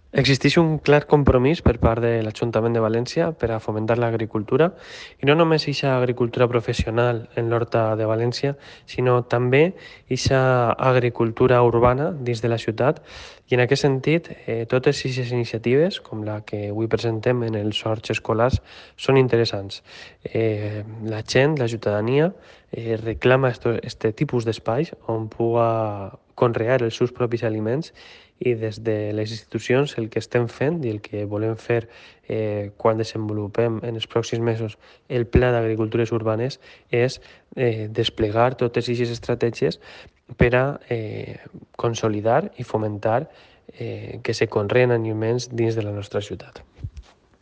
Existeix un clar compromís per part de l'Ajuntament de València per a fomentar l'agricultura, i no només eixa agricultura professional en l'Horta de València, sinó també eixa agricultura urbana dins de la ciutat. I en aquest sentit, totes aquestes iniciatives, com la que avui presentem en els horts escolars, són interessants. La gent, la ciutadania, reclama este tipus d'espais on puga conrear els seus propis aliments, i des de les institucions el que estem fent i el que volem fer quan desenvolupem en els pròxims mesos el Pla d'Agricultures Urbanes és desplegar totes aquestes estratègies per a consolidar i fomentar que se conreen aliments dins de la nostra ciutat.